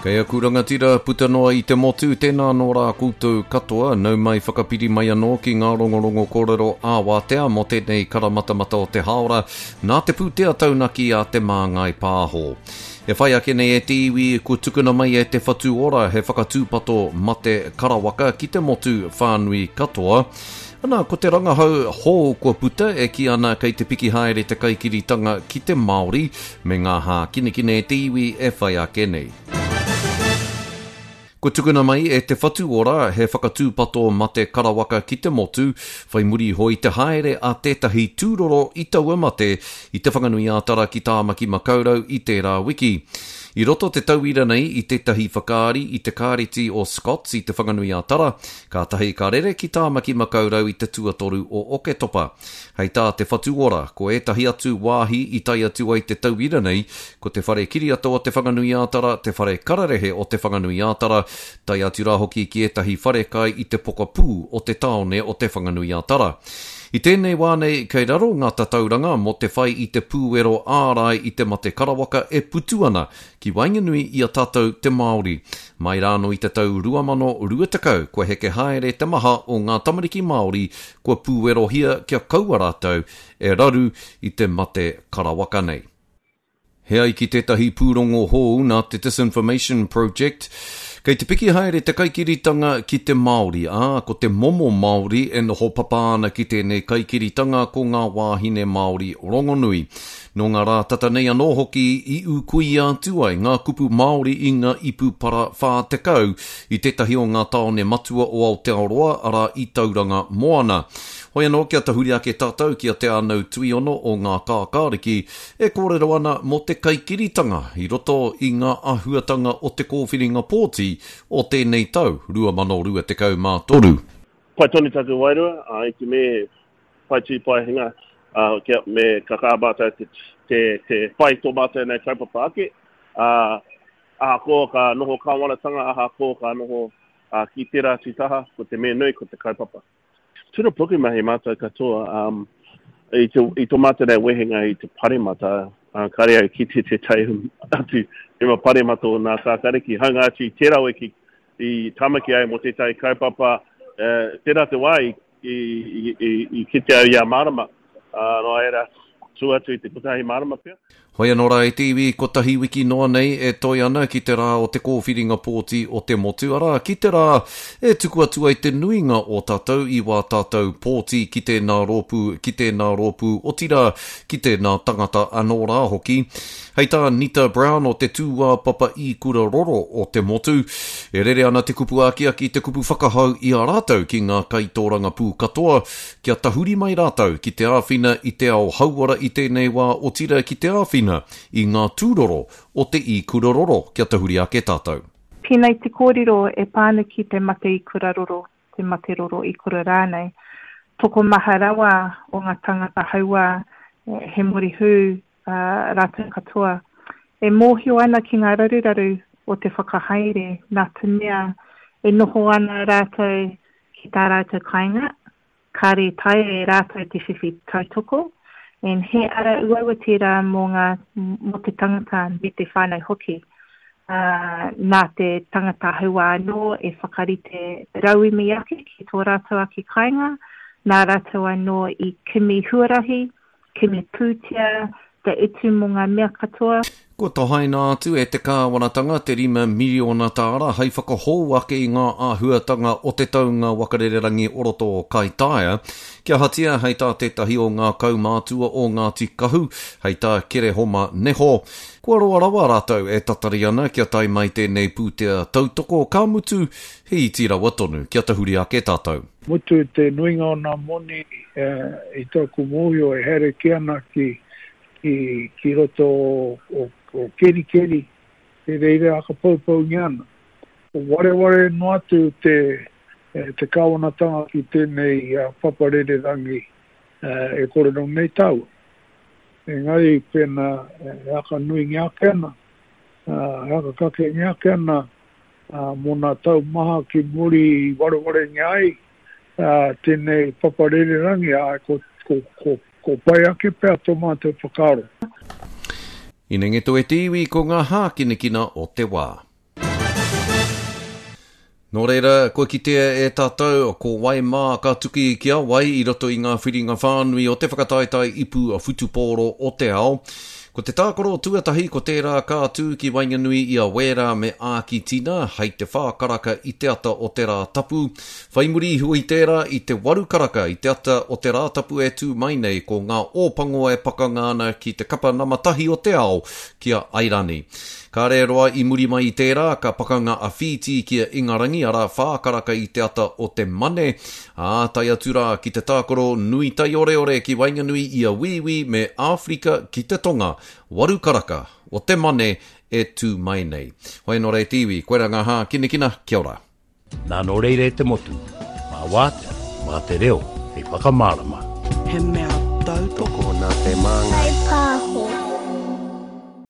Kei aku rangatira puta noa i te motu, tēnā anō rā koutou katoa, nau mai whakapiri mai anō ki ngā rongorongo kōrero ā-wātea mō tēnei karamatamata o te hāora, nā te pūtea taunaki a Te Māngai Pāho. E whai ake nei e te iwi, kua tukuna mai e Te Whatu Ora he whakatūpato mate karawaka ki te motu whānui katoa. Ana, ko te rangahau hou kua puta e kī ana kei te piki haere te kaikiritanga ki te Māori me ngā hākinakina e te iwi e whai ake nei. Kua tukuna mai e Te Whatu Ora he whakatūpato mate karawaka ki te motu, whai muri iho i te haere a tētahi tūroro i taua mate i Te Whanganui-ā-Tara ki Tāmaki Makaurau i tērā wiki. I roto te tauira nei i tētahi whakaari i te Kāreti o Scots i Te Whanganui-ā-Tara, Kātahi ka rere ki Tāmaki Makaurau i te tuatoru o Oketopa. Hei tā Te Whatu Ora, ko ētahi atu wāhi i tae atu ai te tauira nei, ko te Whare Kiriata o Te Whanganui-ā-Tara, te Whare Kararehe o Te Whanganui-ā-Tara, tae atu rā hoki ki ētahi wharekai i te pokapū o te tāone o Te Whanganui-ā-Tara. I tēnei wā nei, kei raro ngā tatauranga mō te whai i te pūero ārai i te mate karawaka e putu ana ki waenganui i a tātou te Māori. Mai rānō i te tau 2020 kua heke haere te maha o ngā tamariki Māori kua pūerohia kia kaua rātou e raru i te mate karawaka nei. He ai ki tētahi pūrongo hou nā te Disinformation Project, kei te piki haere te kaikiritanga ki te Māori, ā, ko te momo Māori e noho papa ana ki tēnei kaikiritanga ko ngā wāhine Māori rongonui. Nō ngā rā tata nei anō hoki i ūkuia atu ai ngā kupu Māori i ngā ipu para 40 i tētahi o ngā tāone matua o Aotearoa, arā i Tauranga Moana. Hoi anō kia tahuri ake tātou ki a Te Ānau Tuiono o Ngā Kākāriki e kōrero ana mō te kaikiritanga i roto i ngā āhuatanga o te kōwhiringa pōti o tēnei tau 2023. Pai tonu taku wairua, ā, i te me pai tū pai hinga, ā, kia, me ka kaha mātou te, te, te whai tō mātou nei kaupapa ake, ā, ahakoa ka noho kāwanatanga, ahakoa ka noho ā, ki tērā atu taha, ko te mea nui, ko te kaupapa. Tino pukumahi mātou katoa, um, i, te, i tō mātou nei wehenga i te paremata, uh, kāre au kite tētahi atu mema paremata o Ngā Kākāriki, hāunga atu i tērā wiki i Tāmaki ai mō tētahi kaupapa, uh, tērā te wā i i, i, i, i kite au i a Marama, ā, nō reira, tua atu i te kotahi marama pea. Hoi anō rā e te iwi, kotahi wiki noa nei e toe ana ki te rā o te kōwhiringa pōti o te motu, arā, ki te rā e tuku atu ai te nuinga o tātou i wā tātou pōti ki tēnā rōpū, ki tēnā rōpū, otirā, ki tēnā tangata anō rā hoki. Hei tā Nita Brown o te tūāpapa ikura roro o te motu, e rere ana te kupu akiaki, te kupu whakahau i a rātou ki ngā kaitōrangapū katoa kia tahuri mai rātou ki te āwhina i te ao hauora i tēnei wā otirā ki te āwhina i ngā tūroro o te ikura roro kia tahuri ake tātou. Tēnei te kōrero e pā ana ki te mate ikura roro, te mate roro ikura rānei. Tokomaha rawa o ngā tangata hauā he morihū rātou katoa. E mōhio ana ki ngā raruraru o te whakahaere nā te mea e noho ana rātou ki tā rātou kāinga, kāre i taea e rātou te whiwhi tautoko, and he ara uaua tērā mō ngā, mō te tangata me te whānau hoki. Ā, nā te tangata hauā anō e whakarite rauemi ake ki tō rātou ake kāinga, nā rātou anō i kimi huarahi, Kimi pūtea, te utu mō ngā mea katoa. Kua tohaina atu e te kāwanatanga te 5 miriona tāra hei whakahou ake i ngā āhuatanga o te taunga wakarererangi o roto o Kaitaia. Kia ahatia hei tā tētahi o ngā kaumātua o Ngāti Kahu, hei tā Kerehoma Neho, kua roa rawa rātou e tatari ana kia tae mai tēnei pūtea tautoko, ka mutu, he iti rawa tonu kia tahuri ake tātou. Mutu te nuinga o nā moni i tōku mōhio e haere kē ana ki, ki, ki roto o, o Kerikeri, i reira whakapoupoungia ana. Wareware noa atu te, te kāwanatanga ki tēnei papa rererangi e kōrero nei tāua. Engari pēnā e whakanuingia ake ana, e whakakakengia ake ana ā, mō nā tau maha ki muri i warewarengia ai tēnei papa rererangi, ā, ko, ko, ko, ko pai ake pea tō mātou whakaaro. Inengeto e te iwi ko ngā hākinakina o te wā. Nō reira, kua kitea e tātou ko wai mā ka tuki ki a wai i roto i ngā whiringa whānui o te whakataetae ipu whutupōro o te ao. Ko te tākaro tuatahi ko tērā ka tū ki waenganui i a Wēra me Ākitina hei te whā karaka i te ata o te Rātapu. Whai muri iho i tērā, i te waru karaka i te ata o te Rātapu e tū mai nei ko ngā Ōpango e pakanga ana ki te kapa nama tahi o te ao, ki a Airani. Kāre roa i muri mai i tērā, ka pakanga a Whītī ki a Ingarangi, arā, whā karaka i te ata o te Mane, ā, tae atu rā ki te tākaro nui taioreore ki waenganui i a Wīwī me Āwherika ki te Tonga, waru karaka o te Mane e tū mai nei. Hoi anō rā e te iwi, koirā ngā hākinakina, kia ora. Nā nō reira e te motu, mā wātea, mā te reo hei whakamārama. He mea tautoko. Tokona te māngai.